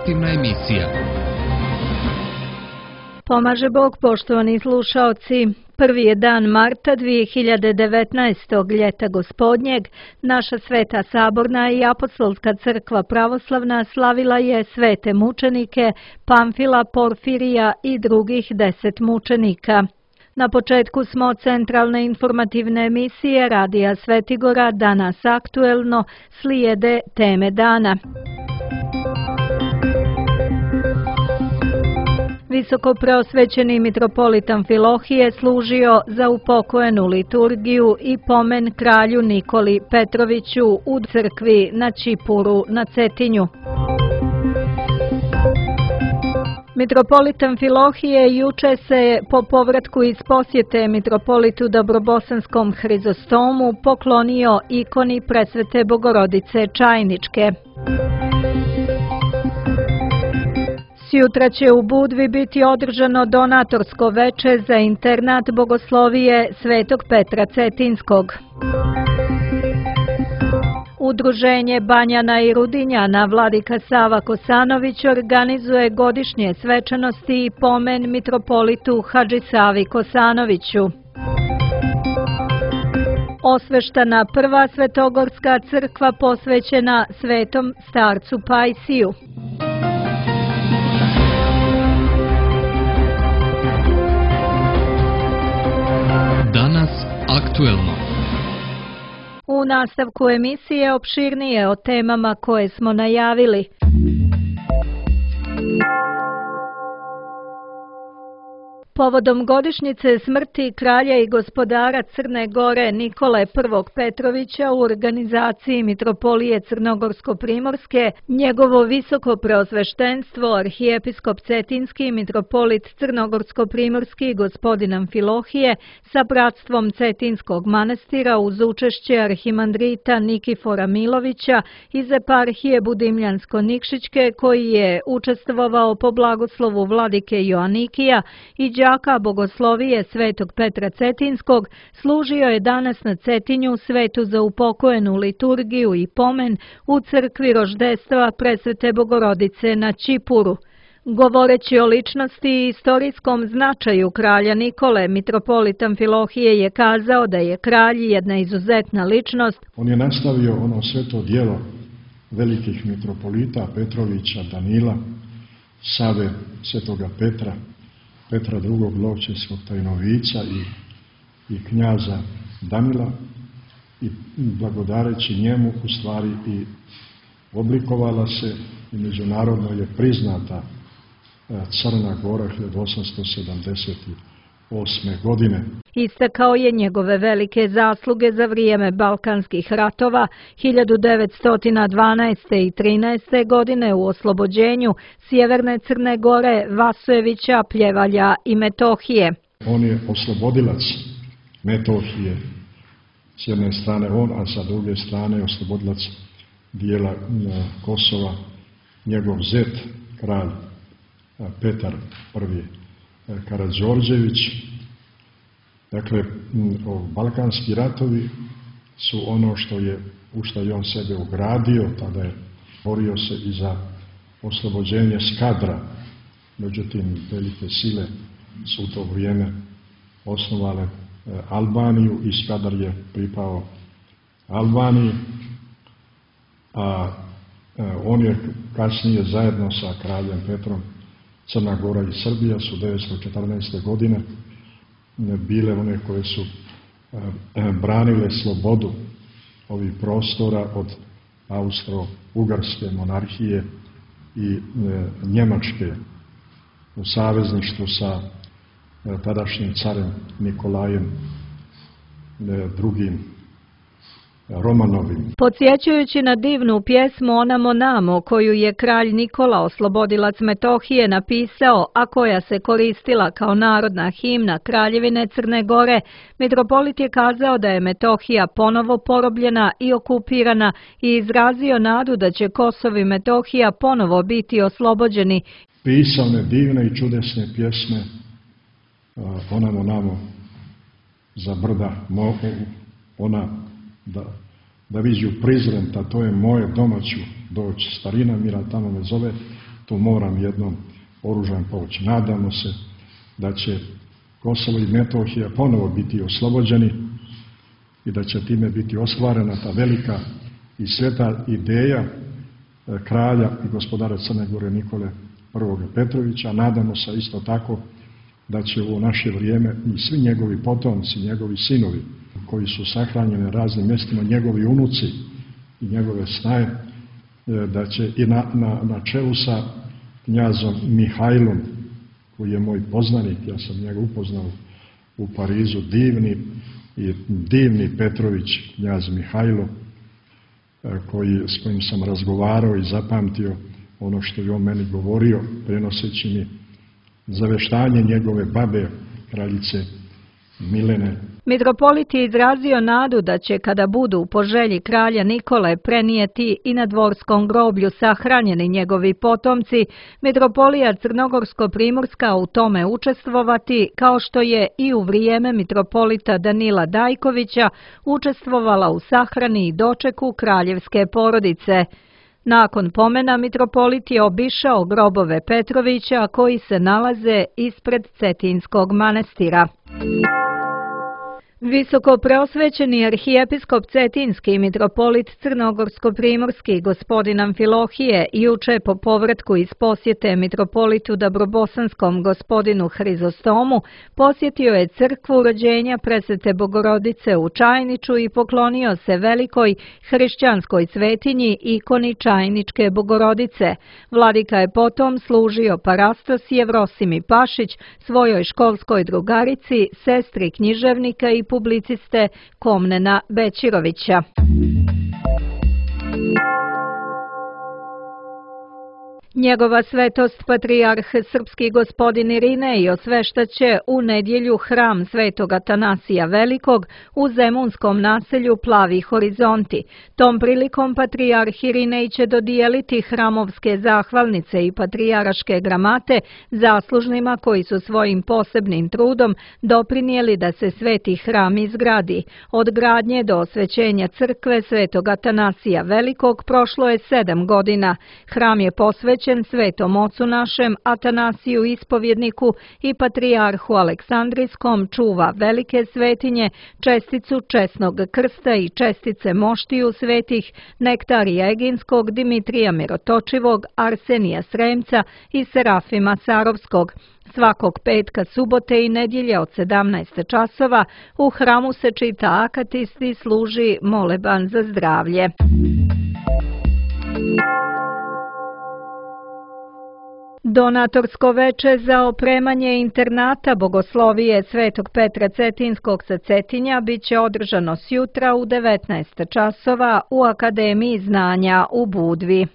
informativna emisija. Pomaže Bog, poštovani slušaoci. Prvi je dan marta 2019. ljeta gospodnjeg. Naša Sveta Saborna i Apostolska crkva pravoslavna slavila je svete mučenike Pamfila, Porfirija i drugih 10 mučenika. Na početku smo centralne informativne emisije Radija Svetigora, danas aktuelno, slijede teme dana. Visoko preosvećeni mitropolit Amfilohije služio za upokojenu liturgiju i pomen kralju Nikoli Petroviću u crkvi na Čipuru na Cetinju. Mitropolit Amfilohije juče se po povratku iz posjete mitropolitu Dobrobosanskom Hrizostomu poklonio ikoni Presvete Bogorodice Čajničke. Sjutra će u Budvi biti održano donatorsko veče za internat bogoslovije Svetog Petra Cetinskog. Udruženje Banjana i Rudinjana Vladika Sava Kosanović organizuje godišnje svečanosti i pomen mitropolitu Hadži Savi Kosanoviću. Osveštana prva svetogorska crkva posvećena svetom starcu Pajsiju. Danas aktuelno. U nastavku emisije opširnije o temama koje smo najavili. Povodom godišnjice smrti kralja i gospodara Crne Gore Nikole I. Petrovića u organizaciji Mitropolije Crnogorsko-Primorske, njegovo visoko preosveštenstvo arhijepiskop Cetinski i mitropolit Crnogorsko-Primorski gospodin Amfilohije sa bratstvom Cetinskog manastira uz učešće arhimandrita Nikifora Milovića iz eparhije Budimljansko-Nikšićke koji je učestvovao po blagoslovu vladike Joanikija i đaka bogoslovije Svetog Petra Cetinskog, služio je danas na Cetinju svetu za upokojenu liturgiju i pomen u crkvi roždestva Presvete Bogorodice na Čipuru. Govoreći o ličnosti i istorijskom značaju kralja Nikole, mitropolit Amfilohije je kazao da je kralj jedna izuzetna ličnost. On je nastavio ono sveto djelo velikih mitropolita Petrovića, Danila, Save, Svetoga Petra, Petra II. Lovćevskog tajnovica i knjaza Danila, i blagodareći njemu u stvari i oblikovala se i međunarodno je priznata Crna Gora 1878. godine. Istakao je njegove velike zasluge za vrijeme Balkanskih ratova 1912. i 13. godine u oslobođenju Sjeverne Crne Gore, Vasojevića, Pljevalja i Metohije. On je oslobodilac Metohije, s jedne strane on, a sa druge strane oslobodilac dijela Kosova, njegov zet, kralj Petar I. Karađorđević. Dakle, balkanski ratovi su ono u što je on sebe ugradio, tada je borio se i za oslobođenje Skadra. Međutim, velike sile su u to vrijeme osnovale Albaniju i Skadar je pripao Albaniji, a on je kasnije zajedno sa kraljem Petrom Crna Gora i Srbija su 1914. godine bile one koje su branile slobodu ovih prostora od Austro-Ugarske monarhije i Njemačke u savezništvu sa tadašnjim carem Nikolajem II. Romanovim. Podsjećajući na divnu pjesmu Onamo Namo, koju je kralj Nikola, oslobodilac Metohije, napisao, a koja se koristila kao narodna himna Kraljevine Crne Gore, mitropolit je kazao da je Metohija ponovo porobljena i okupirana i izrazio nadu da će Kosovo i Metohija ponovo biti oslobođeni. Pisao ne divne i čudesne pjesme Onamo Namo za brda, ona da viđu prizrenta, to je moje doma ću doći, starina mira tamo me zove, tu moram jednom oružan povući. Nadamo se da će Kosovo i Metohija ponovo biti oslobođeni i da će time biti ostvarena ta velika i sveta ideja kralja i gospodara Crne Gore Nikole I. Petrovića. Nadamo se isto tako da će u naše vrijeme i svi njegovi potomci, njegovi sinovi koji su sahranjeni na raznim mjestima, njegovi unuci i njegove snaje, da će i na čelu sa knjazom Mihajlom, koji je moj poznanik, ja sam njega upoznao u Parizu, divni Petrović, knjaz Mihajlo, s kojim sam razgovarao i zapamtio ono što je on meni govorio, prenoseći mi zaveštanje njegove babe, kraljice Milene. Mitropolit je izrazio nadu da će, kada budu po želji kralja Nikole prenijeti i na dvorskom groblju sahranjeni njegovi potomci, mitropolija Crnogorsko-primorska u tome učestvovati, kao što je i u vrijeme mitropolita Danila Dajkovića učestvovala u sahrani i dočeku kraljevske porodice. Nakon pomena mitropolit je obišao grobove Petrovića koji se nalaze ispred Cetinskog manastira. Visoko preosvećeni arhijepiskop Cetinski i mitropolit Crnogorsko-primorski gospodin Amfilohije juče po povratku iz posjete mitropolitu Dabrobosanskom gospodinu Hrizostomu posjetio je crkvu rođenja Presvete Bogorodice u Čajniču i poklonio se velikoj hrišćanskoj svetinji ikoni Čajničke Bogorodice. Vladika je potom služio parastos Jevrosimi Pašić, svojoj školskoj drugarici, sestri književnika i publiciste Komnena Bećirovića. Njegova svetost patrijarh srpski gospodin Irinej osveštaće u nedjelju hram Svetog Atanasija Velikog u zemunskom naselju Plavi Horizonti. Tom prilikom patrijarh Irinej će dodijeliti hramovske zahvalnice i patrijaraške gramate zaslužnima koji su svojim posebnim trudom doprinijeli da se sveti hram izgradi. Od gradnje do osvećenja crkve Svetog Atanasija Velikog prošlo je 7 godina. Hram je posvećen Svetom ocu našem Atanasiju Ispovjedniku i patrijarhu Aleksandrijskom, čuva velike svetinje, česticu česnog krsta i čestice moštiju svetih Nektarija Eginskog, Dimitrija Mirotočivog, Arsenija Sremca i Serafima Sarovskog. Svakog petka, subote i nedjelje od 17 časova u hramu se čita akatist i služi moleban za zdravlje. Donatorsko veče za opremanje internata Bogoslovije Svetog Petra Cetinskog sa Cetinja bit će održano sjutra u 19 časova u Akademiji znanja u Budvi.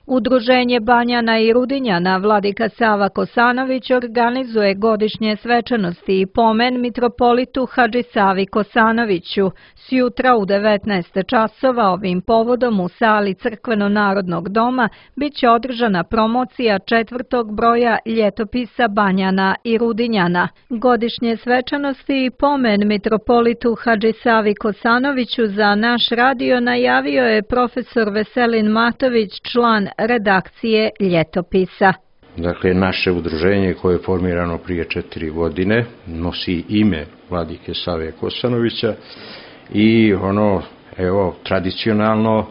Udruženje Banjana i Rudinjana vladika Sava Kosanović organizuje godišnje svečanosti i pomen mitropolitu Hadži Savi Kosanoviću. Sjutra u 19 časova ovim povodom u sali Crkveno-narodnog doma bit će održana promocija 4. broja ljetopisa Banjana i Rudinjana. Godišnje svečanosti i pomen mitropolitu Hadži Savi Kosanoviću za naš radio najavio je profesor Veselin Matović, član redakcije ljetopisa. Dakle, naše udruženje koje je formirano prije 4 godine nosi ime vladike Save Kosanovića i tradicionalno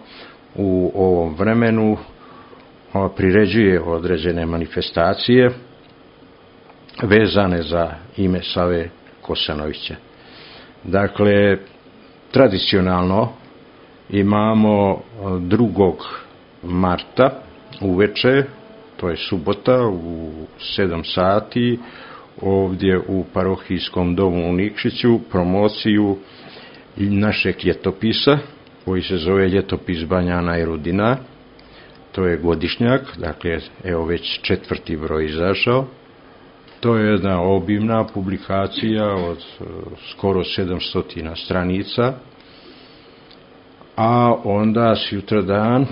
u ovom vremenu priređuje određene manifestacije vezane za ime Save Kosanovića. Dakle, tradicionalno imamo 2. marta uveče, to je subota u 7 sati, ovdje u parohijskom domu u Nikšiću, promociju našeg ljetopisa koji se zove Ljetopis Banjana i Rudina. To je godišnjak, dakle evo već 4. broj izašao. To je jedna obimna publikacija od skoro 700 stranica, a onda sutradan,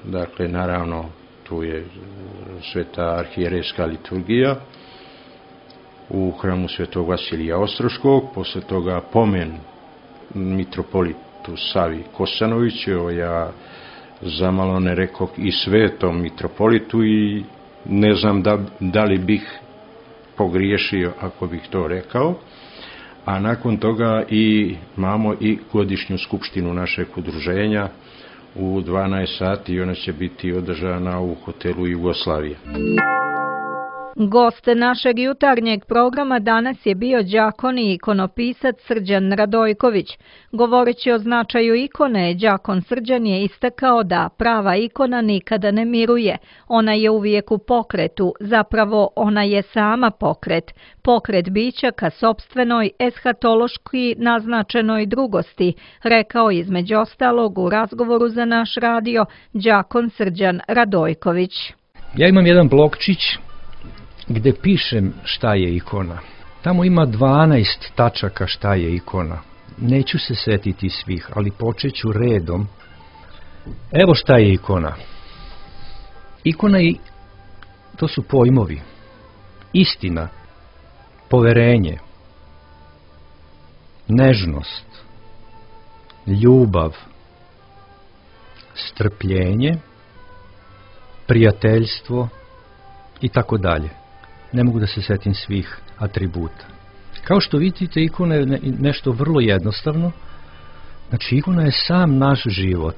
dakle naravno tu je sveta arhijerejska liturgija u hramu Svetog Vasilija Ostroškog, posle toga pomen mitropolitu Savi Kosanoviću. Ja zamalo ne rekog i svetom mitropolitu i ne znam da li bih pogriješio ako bih to rekao. A nakon toga imamo i godišnju skupštinu našeg udruženja u 12 sati i ona će biti održana u hotelu Jugoslavija. Gost našeg jutarnjeg programa danas je bio đakon i ikonopisac Srđan Radojković. Govoreći o značaju ikone, đakon Srđan je istakao da prava ikona nikada ne miruje. Ona je uvijek u pokretu, zapravo ona je sama pokret. Pokret bića ka sopstvenoj, eshatološki naznačenoj drugosti, rekao između ostalog u razgovoru za naš radio đakon Srđan Radojković. Ja imam jedan blokčić gde pišem šta je ikona. Tamo ima 12 tačaka šta je ikona. Neću se setiti svih, ali počet ću redom. Evo šta je ikona. Ikona to su pojmovi. Istina, poverenje, nežnost, ljubav, strpljenje, prijateljstvo i tako dalje. Ne mogu da se setim svih atributa. Kao što vidite, ikona je nešto vrlo jednostavno. Znači, ikona je sam naš život.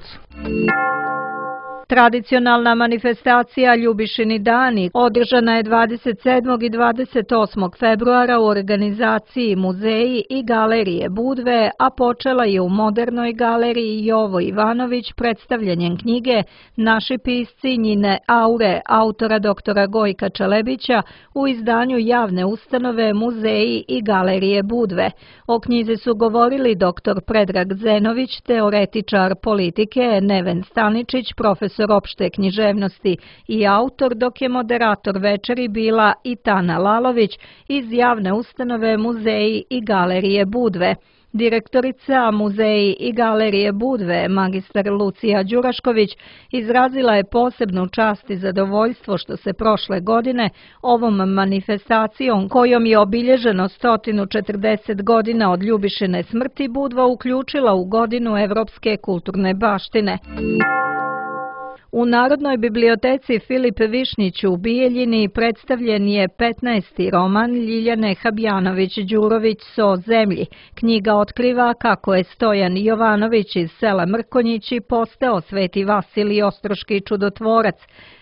Tradicionalna manifestacija Ljubišini dani održana je 27. i 28. februara u organizaciji Muzeji i galerije Budve, a počela je u Modernoj galeriji Jovo Ivanović predstavljanjem knjige Naši pisci njine aure autora doktora Gojka Čelebića u izdanju javne ustanove Muzeji i galerije Budve. O knjizi su govorili dr. Predrag Zenović, teoretičar politike, Neven Staničić, profesor opšte književnosti i autor, dok je moderator večeri bila i Tana Lalović iz javne ustanove Muzeji i galerije Budve. Direktorica Muzeji i galerije Budve, magistar Lucija Đurašković, izrazila je posebnu čast i zadovoljstvo što se prošle godine ovom manifestacijom, kojom je obilježeno 140 godina od Ljubišine smrti, Budva uključila u godinu evropske kulturne baštine. U Narodnoj biblioteci Filip Višnjić u Bijeljini predstavljen je 15. roman Ljiljane Habjanović-Đurović So zemlji. Knjiga otkriva kako je Stojan Jovanović iz sela Mrkonjići postao Sveti Vasilij Ostroški čudotvorac.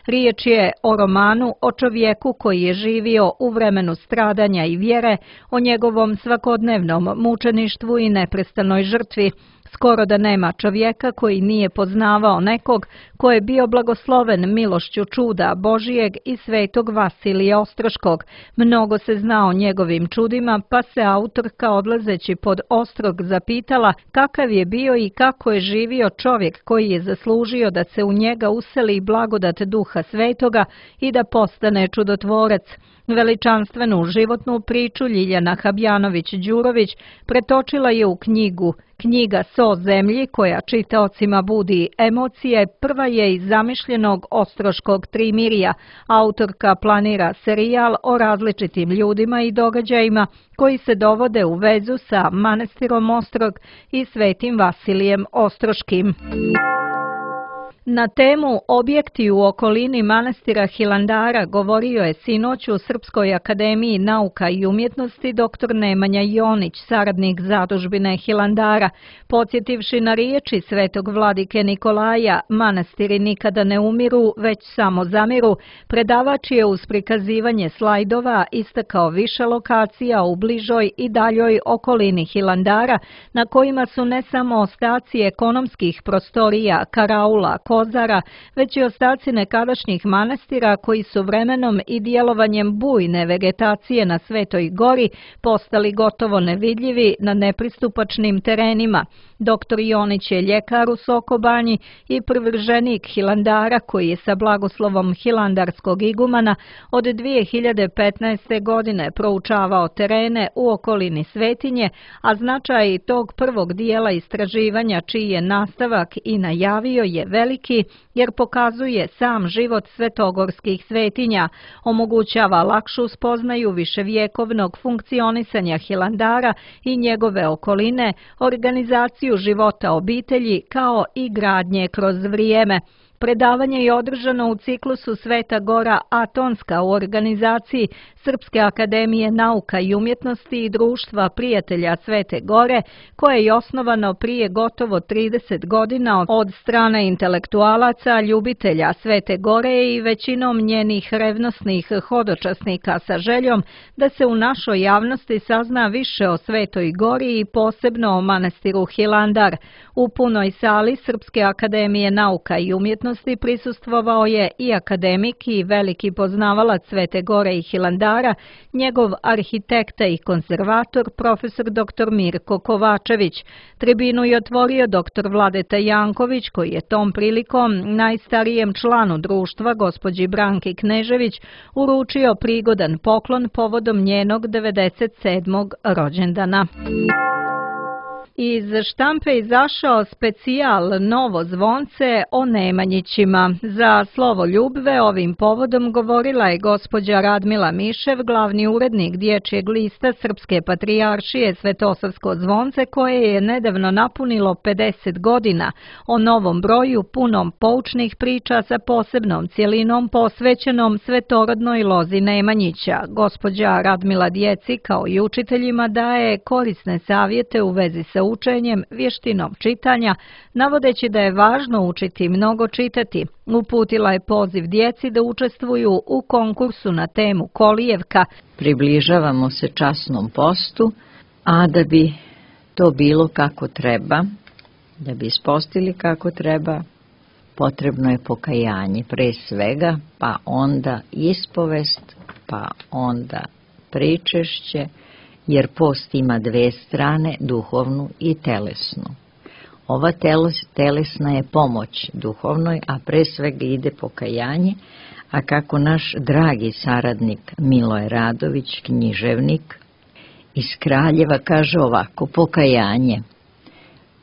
Riječ je o romanu o čovjeku koji je živio u vremenu stradanja i vjere, o njegovom svakodnevnom mučeništvu i neprestanoj žrtvi. Skoro da nema čovjeka koji nije poznavao nekog ko je bio blagosloven milošću čuda Božijeg i Svetog Vasilija Ostroškog. Mnogo se zna o njegovim čudima, pa se autorka odlazeći pod Ostrog zapitala kakav je bio i kako je živio čovjek koji je zaslužio da se u njega useli blagodat Duha Svetoga i da postane čudotvorac. Veličanstvenu životnu priču Ljiljana Habjanović-Đurović pretočila je u knjigu. Knjiga So zemlji, koja čitaocima budi emocije, prva je iz zamišljenog ostroškog trimirija. Autorka planira serijal o različitim ljudima i događajima koji se dovode u vezu sa manastirom Ostrog i Svetim Vasilijem Ostroškim. Na temu objekti u okolini manastira Hilandara govorio je sinoć u Srpskoj akademiji nauka i umjetnosti dr. Nemanja Jonić, saradnik zadužbine Hilandara. Podsjetivši na riječi svetog vladike Nikolaja, manastiri nikada ne umiru, već samo zamiru, predavač je uz prikazivanje slajdova istakao više lokacija u bližoj i daljoj okolini Hilandara, na kojima su ne samo ostaci ekonomskih prostorija, karaula, kozara, već i ostaci nekadašnjih manastira koji su vremenom i djelovanjem bujne vegetacije na Svetoj gori postali gotovo nevidljivi na nepristupačnim terenima. Dr. Jonić je ljekar u Sokobanji i privrženik Hilandara koji je sa blagoslovom hilandarskog igumana od 2015. godine proučavao terene u okolini svetinje, a značaj tog prvog dijela istraživanja čiji je nastavak i najavio je velik akademiki jer pokazuje sam život svetogorskih svetinja, omogućava lakšu spoznaju viševjekovnog funkcionisanja Hilandara i njegove okoline, organizaciju života obitelji kao i gradnje kroz vrijeme. Predavanje je održano u ciklusu Sveta Gora Atonska u organizaciji Srpske akademije nauka i umjetnosti i Društva prijatelja Svete Gore, koje je osnovano prije gotovo 30 godina od strane intelektualaca, ljubitelja Svete Gore i većinom njenih revnosnih hodočasnika sa željom da se u našoj javnosti sazna više o Svetoj Gori i posebno o manastiru Hilandar. U punoj sali Srpske akademije nauka i umjetnosti prisustvovao je i akademik i veliki poznavalac Svete Gore i Hilandara, njegov arhitekta i konzervator profesor dr. Mirko Kovačević. Tribinu je otvorio dr. Vladeta Janković, koji je tom prilikom najstarijem članu društva, gospođi Branki Knežević, uručio prigodan poklon povodom njenog 97. rođendana. Iz štampe izašao specijal Novo zvonce o Nemanjićima. Za Slovo Ljubve ovim povodom govorila je gospođa Radmila Mišev, glavni urednik Dječjeg lista Srpske patrijaršije Svetosavsko zvonce, koje je nedavno napunilo 50 godina, o novom broju punom poučnih priča sa posebnom cjelinom posvećenom svetorodnoj lozi Nemanjića. Gospođa Radmila djeci kao i učiteljima daje korisne savjete u vezi sa učenjem, vještinom čitanja, navodeći da je važno učiti mnogo čitati. Uputila je poziv djeci da učestvuju u konkursu na temu Kolijevka. Približavamo se časnom postu, a da bi to bilo kako treba, da bi ispostili kako treba, potrebno je pokajanje pre svega, pa onda ispovest, pa onda pričešće, jer post ima dve strane, duhovnu i telesnu. Ova telesna je pomoć duhovnoj, a pre svega ide pokajanje, a kako naš dragi saradnik Miloje Radović, književnik iz Kraljeva, kaže ovako: pokajanje.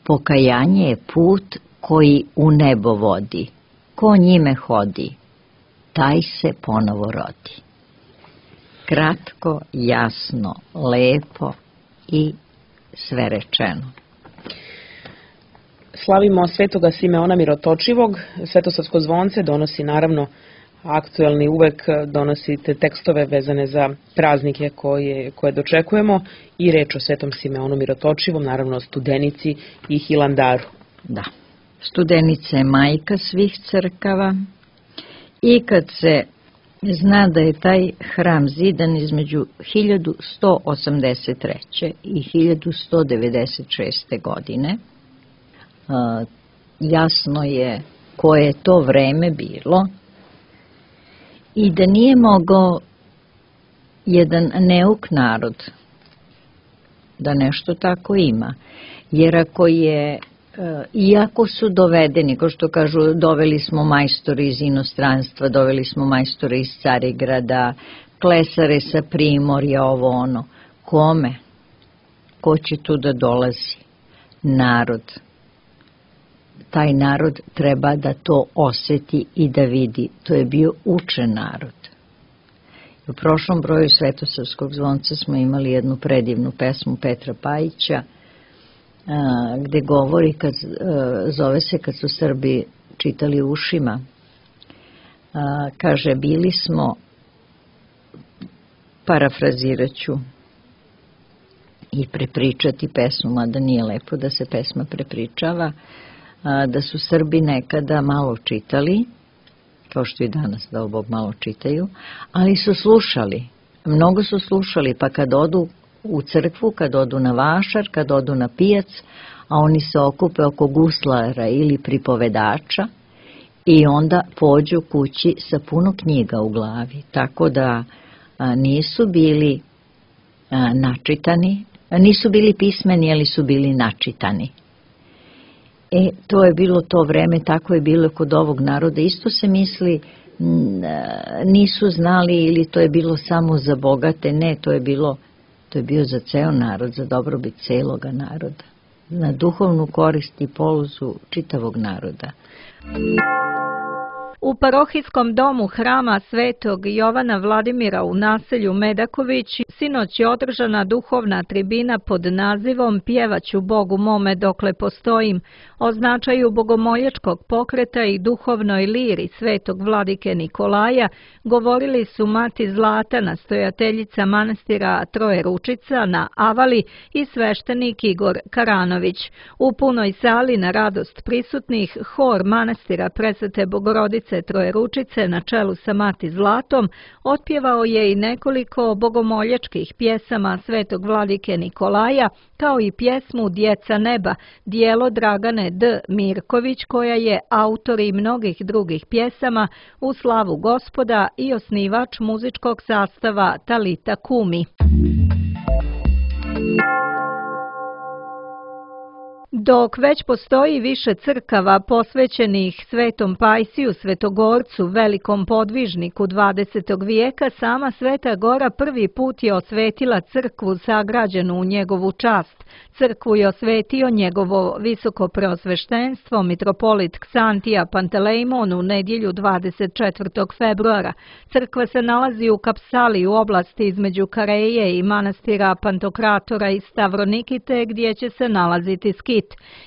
Pokajanje je put koji u nebo vodi. Ko njime hodi, taj se ponovo rodi. Kratko, jasno, lepo i sve rečeno. Slavimo Svetoga Simeona Mirotočivog. Svetosavsko zvonce donosi naravno aktuelni, uvek donosite tekstove vezane za praznike koje dočekujemo i reč o Svetom Simeonu Mirotočivom, naravno o Studenici i Hilandaru. Da, Studenica je majka svih crkava i kad se zna da je taj hram zidan između 1183. i 1196. godine, jasno je koje je to vreme bilo i da nije mogao jedan neuk narod da nešto tako ima. Jer ako je, iako su dovedeni, kao što kažu, doveli smo majstore iz inostranstva, doveli smo majstore iz Carigrada, klesare sa Primorja, ovo ono, kome? Ko će tu da dolazi? Narod. Taj narod treba da to oseti i da vidi. To je bio učen narod. U prošlom broju Svetosavskog zvonca smo imali jednu predivnu pesmu Petra Pajića, gde govori, zove se Kad su Srbi čitali ušima. Kaže, bili smo, parafraziraću i prepričati pesmu, mada nije lepo da se pesma prepričava, da su Srbi nekada malo čitali, kao što i danas, da Bog, malo čitaju, ali su slušali, mnogo su slušali, pa kad odu u crkvu, kad odu na vašar, kad odu na pijac, a oni se okupe oko guslara ili pripovedača i onda pođu kući sa puno knjiga u glavi, tako da nisu bili načitani, nisu bili pismeni, ali su bili načitani. To je bilo to vreme, tako je bilo kod ovog naroda. Isto se misli, nisu znali ili to je bilo samo za bogate, ne, to je bio za ceo narod, za dobrobit celoga naroda, na duhovnu korist i poluzu čitavog naroda. U parohijskom domu hrama Svetog Jovana Vladimira u naselju Medaković sinoć je održana duhovna tribina pod nazivom Pjevaću Bogu mome dokle postojim, o značaju bogomoljačkog pokreta i duhovnoj liri Svetog Vladike Nikolaja govorili su mati Zlata, nastojateljica manastira Trojeručica na Avali, i sveštenik Igor Karanović. U punoj sali na radost prisutnih hor manastira Presvete Bogorodice Trojeručice na čelu sa mati Zlatom otpjevao je i nekoliko bogomoljačkih pjesama Svetog Vladike Nikolaja, kao i pjesmu Djeca neba, dijelo Dragane D. Mirković, koja je autor i mnogih drugih pjesama u slavu Gospoda i osnivač muzičkog sastava Talita Kumi. Dok već postoji više crkava posvećenih Svetom Pajsiju Svetogorcu, velikom podvižniku 20. vijeka, sama Sveta Gora prvi put je osvetila crkvu sagrađenu u njegovu čast. Crkvu je osvetio njegovo visokopreosveštenstvo mitropolit Ksantija Pantelejmon u nedjelju 24. februara. Crkva se nalazi u Kapsali u oblasti između Kareje i manastira Pantokratora i Stavronikite, gdje će se nalaziti skit.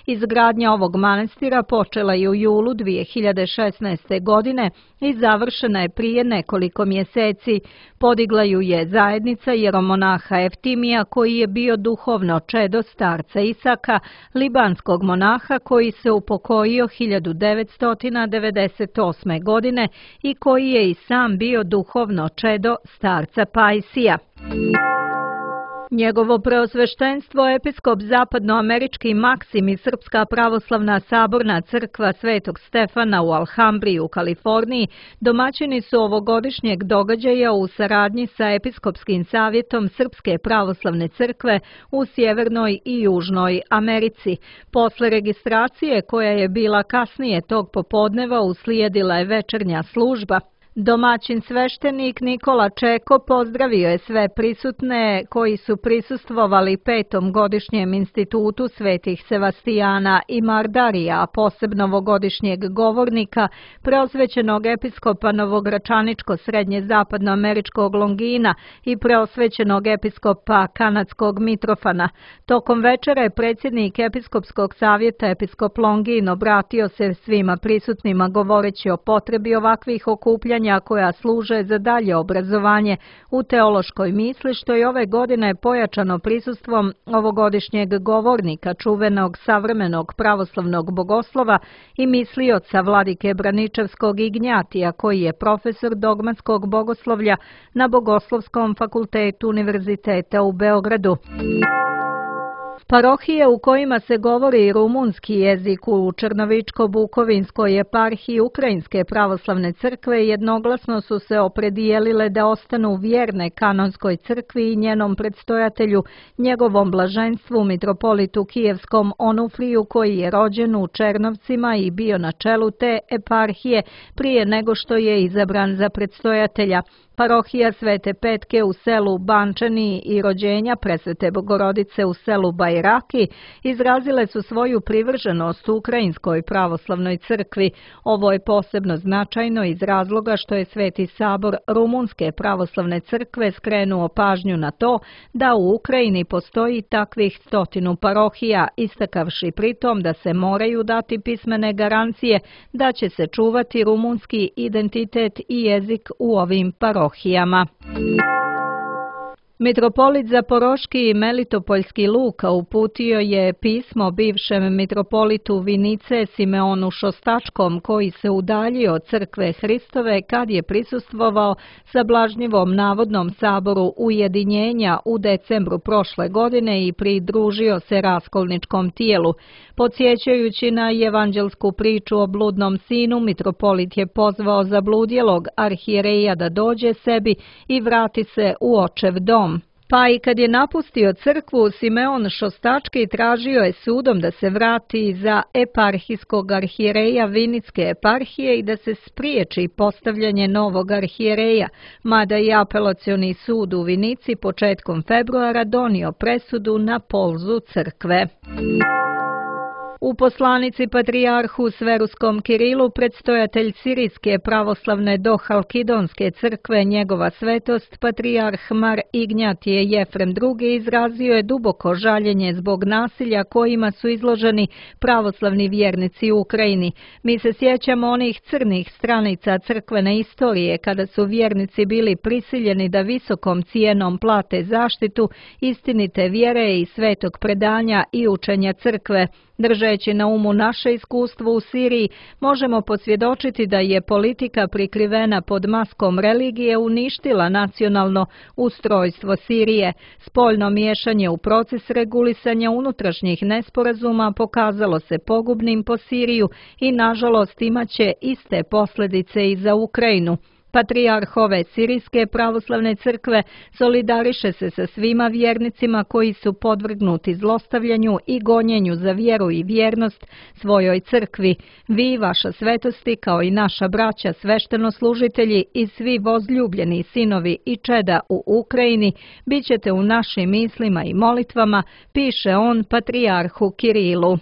Izgradnja ovog manastira počela je u julu 2016. godine i završena je prije nekoliko mjeseci. Podigla ju je zajednica jeromonaha Eftimija, koji je bio duhovno čedo starca Isaka, libanskog monaha koji se upokojio 1998. godine i koji je i sam bio duhovno čedo starca Pajsija. Njegovo preosveštenstvo episkop zapadnoamerički Maksim i Srpska pravoslavna saborna crkva Svetog Stefana u Alhambri u Kaliforniji domaćini su ovogodišnjeg događaja u saradnji sa Episkopskim savjetom Srpske pravoslavne crkve u Sjevernoj i Južnoj Americi. Posle registracije, koja je bila kasnije tog popodneva, uslijedila je večernja služba. Domaćin sveštenik Nikola Čeko pozdravio je sve prisutne koji su prisustvovali 5. godišnjem institutu Svetih Sevastijana i Mardarija, a posebno ovogodišnjeg govornika, preosvećenog episkopa Novogračaničko-srednje zapadnoameričkog Longina i preosvećenog episkopa kanadskog Mitrofana. Tokom večera je predsjednik Episkopskog savjeta episkop Longin obratio se svima prisutnima govoreći o potrebi ovakvih okupljanja koja služe za dalje obrazovanje u teološkoj misli, što je ove godine pojačano prisustvom ovogodišnjeg govornika, čuvenog savremenog pravoslavnog bogoslova i mislioca vladike Braničevskog Ignjatija, koji je profesor dogmatskog bogoslovlja na Bogoslovskom fakultetu Univerziteta u Beogradu. Parohije u kojima se govori rumunski jezik u Črnovičko-Bukovinskoj eparhiji Ukrajinske pravoslavne crkve jednoglasno su se opredijelile da ostanu vjerne kanonskoj crkvi i njenom predstojatelju, njegovom blaženstvu mitropolitu Kijevskom Onufriju, koji je rođen u Černovcima i bio na čelu te eparhije prije nego što je izabran za predstojatelja. Parohija Svete Petke u selu Bančani i rođenja Presvete Bogorodice u selu Bajraki izrazile su svoju privrženost Ukrajinskoj pravoslavnoj crkvi. Ovo je posebno značajno iz razloga što je Sveti sabor Rumunske pravoslavne crkve skrenuo pažnju na to da u Ukrajini postoji takvih 100 parohija, istakavši pritom da se moraju dati pismene garancije da će se čuvati rumunski identitet i jezik u ovim parohijama. Mitropolit Zaporoški i Melitopoljski Luka uputio je pismo bivšem mitropolitu Vinice Simeonu Šostačkom, koji se udaljio od crkve Hristove kad je prisustvovao sablažnjivom navodnom saboru ujedinjenja u decembru prošle godine i pridružio se raskolničkom tijelu. Podsjećajući na evanđelsku priču o bludnom sinu, mitropolit je pozvao zabludjelog arhijereja da dođe sebi i vrati se u očev dom. Pa i kad je napustio crkvu, Simeon Šostački tražio je sudom da se vrati za eparhijskog arhijereja Vinicke eparhije i da se spriječi postavljanje novog arhijereja, mada i apelacioni sud u Vinici početkom februara donio presudu na polzu crkve. U poslanici patrijarhu Sveruskom Kirilu predstojatelj Sirijske pravoslavne Dohalkidonske crkve njegova svetost patrijarh Mar Ignjatije Jefrem II izrazio je duboko žaljenje zbog nasilja kojima su izloženi pravoslavni vjernici u Ukrajini. Mi se sjećamo onih crnih stranica crkvene istorije kada su vjernici bili prisiljeni da visokom cijenom plate zaštitu istinite vjere i svetog predanja i učenja crkve. Držeći na umu naše iskustvo u Siriji, možemo posvjedočiti da je politika prikrivena pod maskom religije uništila nacionalno ustrojstvo Sirije. Spoljno miješanje u proces regulisanja unutrašnjih nesporazuma pokazalo se pogubnim po Siriju i nažalost imaće iste posljedice i za Ukrajinu. Patrijarh ove Sirijske pravoslavne crkve solidariše se sa svima vjernicima koji su podvrgnuti zlostavljanju i gonjenju za vjeru i vjernost svojoj crkvi. Vi, vaša svetosti, kao i naša braća sveštenoslužitelji i svi vozljubljeni sinovi i čeda u Ukrajini, bit ćete u našim mislima i molitvama, piše on patrijarhu Kirilu.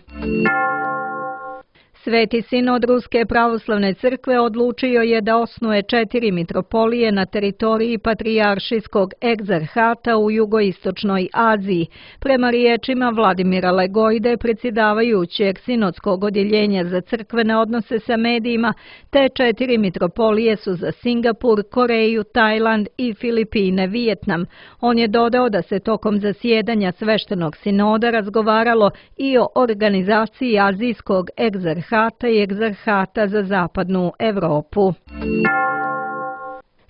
Sveti sinod Ruske pravoslavne crkve odlučio je da osnuje 4 mitropolije na teritoriji patrijaršijskog egzarhata u jugoistočnoj Aziji. Prema riječima Vladimira Legojde, predsjedavajućeg sinodskog odjeljenja za crkvene odnose sa medijima, te 4 mitropolije su za Singapur, Koreju, Tajland i Filipine, Vijetnam. On je dodao da se tokom zasjedanja sveštenog sinoda razgovaralo i o organizaciji azijskog egzarhata i egzarhata za zapadnu Europu.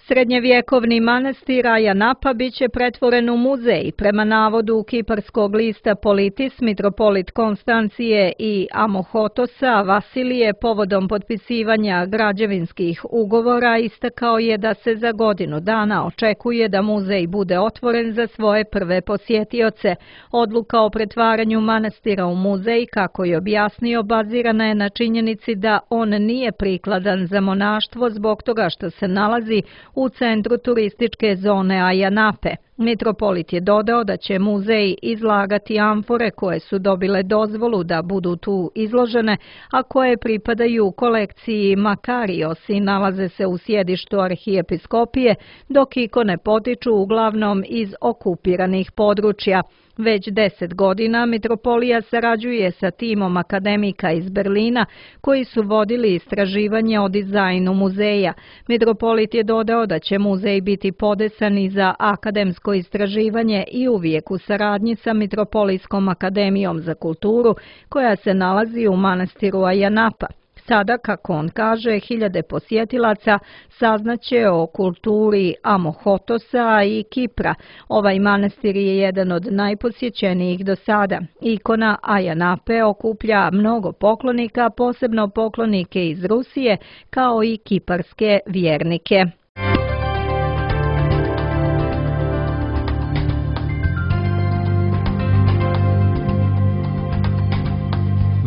Srednjevjekovni manastir Aja Napa bit će pretvoren u muzej. Prema navodu kiparskog lista Politis, mitropolit Konstancije i Amohotosa Vasilije povodom potpisivanja građevinskih ugovora istakao je da se za godinu dana očekuje da muzej bude otvoren za svoje prve posjetioce. Odluka o pretvaranju manastira u muzej, kako je objasnio, bazirana je na činjenici da on nije prikladan za monaštvo zbog toga što se nalazi u centru turističke zone Aja Nape. Mitropolit je dodao da će muzej izlagati amfore koje su dobile dozvolu da budu tu izložene, a koje pripadaju kolekciji Makarios i nalaze se u sjedištu arhijepiskopije, dok ikone potiču uglavnom iz okupiranih područja. Već 10 godina mitropolija sarađuje sa timom akademika iz Berlina koji su vodili istraživanje o dizajnu muzeja. Mitropolit je dodao da će muzej biti podesan i za akademsko istraživanje i uvijek u saradnji sa Mitropolijskom akademijom za kulturu koja se nalazi u manastiru Aja Napa. Sada, kako on kaže, hiljade posjetilaca saznaće o kulturi Amohotosa i Kipra. Ovaj manastir je jedan od najposjećenijih do sada. Ikona Aja Nape okuplja mnogo poklonika, posebno poklonike iz Rusije, kao i kiparske vjernike.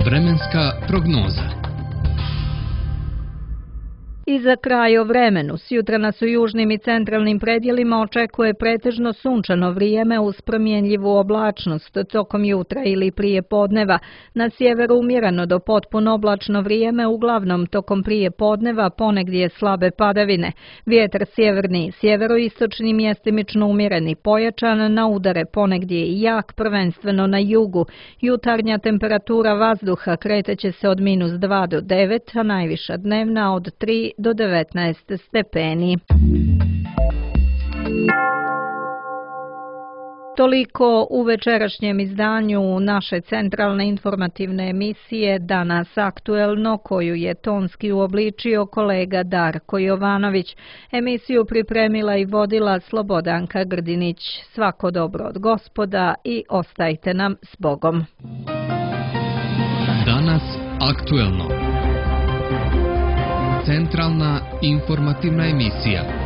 Vremenska prognoza. I za kraj o vremenu. Sjutra nas u južnim i centralnim predjelima očekuje pretežno sunčano vrijeme uz promjenljivu oblačnost tokom jutra ili prije podneva. Na sjeveru umjereno do potpuno oblačno vrijeme, uglavnom tokom prije podneva ponegdje slabe padavine. Vjetar sjeverni i sjeveroistočni mjestimično umjereni pojačan, na udare ponegdje i jak, prvenstveno na jugu. Jutarnja temperatura vazduha kreteće se od -2 do 9, a najviša dnevna od 3 do 19 stepeni. Toliko u večerašnjem izdanju naše centralne informativne emisije Danas aktuelno, koju je tonski uobličio kolega Darko Jovanović. Emisiju pripremila i vodila Slobodanka Grdinić. Svako dobro od Gospoda i ostajte nam s Bogom. Danas aktuelno. Centralna informativna emisija.